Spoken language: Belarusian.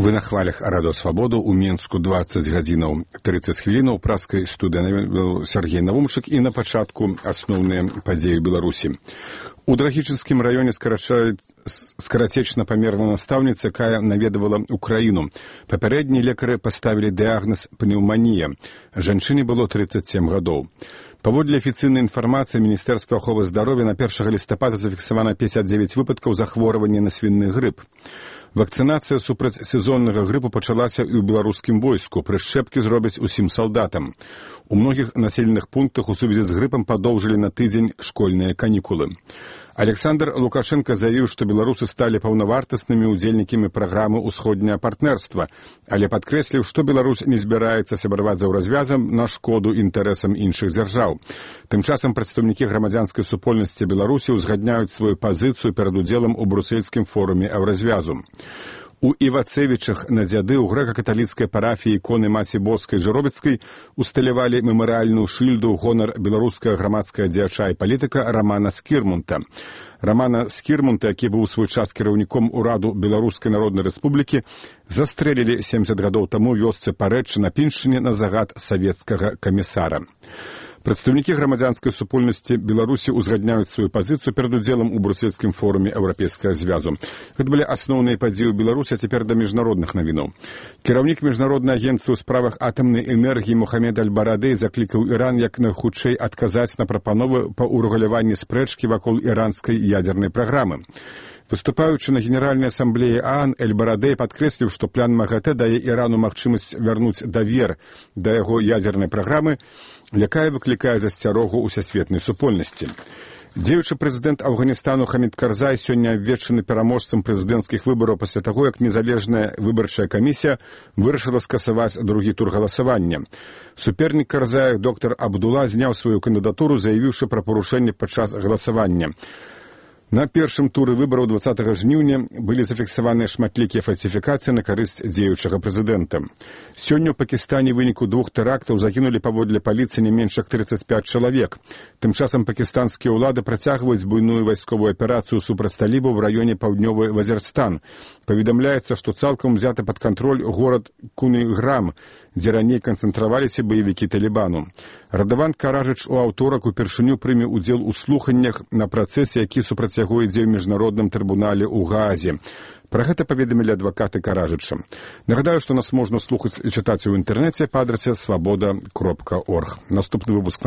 Вы на хвалях Радыё Свабоду. У Мінску 20 гадзінаў 30 хвілінаў. Праскай студыі Сергей Навумчык. І на пачатку асноўныя падзеі Беларусі. У Драгічынскім раёне скарацечна-памерная настаўніца, якая наведавала Украіну. Папярэднія лекары паставілі дыягназ пнеўманія. Жанчыне было 37 гадоў. Паводле афіцыйнай інфармацыі Міністэрства аховы здароўя на 1 лістапада зафіксавана 59 выпадкаў захворвання на свіны грып. Вакцынацыя супраць сезоннага грыпу пачалася і ў беларускім войску. Прышчэпкі зробяць усім салдатам. У многіх населеных пунктах у сувязі з грыпам падоўжылі на тыдзень школьныя канікулы. Александр Лукашенко заявіў, што беларусы сталі паўнавартаснымі ўдзельнікамі праграмы «Усходняе партнерства», але падкрэсліў, што Беларусь не збіраецца сябраваць за развязам на шкоду інтарэсам іншых дзяржаў. Тым часам прадстаўнікі грамадзянскай супольнасці Беларусі ўзгадняюць сваю пазіцыю перад удзелам у брусельскім форуме Еўразвязу. У Івацевічах на дзяды ў грэка-каталіцкай парафіі іконы Маці Боскай Жыробіцкай усталявалі мемарыяльную шыльду ў гонар беларускага грамадскага дзеяча і палітыка Рамана Скірмунта. Рамана Скірмунта, які быў у свой час кіраўніком ураду Беларускай Народнай Рэспублікі, застрэлілі 70 гадоў таму ў вёсцы Парэчча на Піншчыне на загад савецкага камісара. Прадстаўнікі грамадзянскай супольнасці Беларусі ўзгадняюць сваю пазіцыю перад удзелам у брусельскім форуме Еўрапейскага звязу. Гэта былі асноўныя падзеі ў Беларусі, а цяпер да міжнародных навінаў. Кіраўнік міжнароднай агенцыі ў справах атамнай энергіі Мухаммед Аль-Барадэй заклікаў Іран як найхутчэй адказаць на прапановы па ўрэгуляванні спрэчкі вакол іранскай ядзернай праграмы. Выступаючы на Генеральнай асамблеі ААН, Эль-Барадэй падкрэсліў, што план МАГАТЭ дае Ірану магчымасць вярнуць давер да яго ядзернай праграмы, якая выклікае засцярогу ўсесветнай супольнасці. Дзеючы прэзідэнт Афганістану Хамід Карзай сёння абвешчаны пераможцам прэзідэнцкіх выбараў пасля таго, як незалежная выбарчая камісія вырашыла скасаваць другі тур галасавання. Супернік Карзая, доктар Абдула, зняў сваю кандыдатуру, заявіўшы пра парушэнне падчас галасавання. На першым туры выбараў 20 жніўня былі зафіксаваныя шматлікія фальсіфікацыі на карысць дзеючага прэзідэнта. Сёння ў Пакістане ў выніку 2 тэрактаў загінулі паводле паліцыі не менш як 35 чалавек. Тым часам пакістанскія ўлады працягваюць буйную вайсковую аперацыю супраць талібаў у раёне паўднёвы Вазірстан. Паведамляецца, што цалкам узяты пад кантроль горад Куніграм, дзе раней канцэнтраваліся баевікі Талібану. Радаван Каражыч у аўторак упершыню прыме ўдзел у слуханнях на працэсе, які супраць яго ідзе ў міжнародным трыбунале ў Гаазе. Пра гэта паведамілі адвакаты Каражыча. Нагадаю, што нас можна слухаць і чытаць у інтэрнэце па адрасе свабода.орг. Наступны выпуск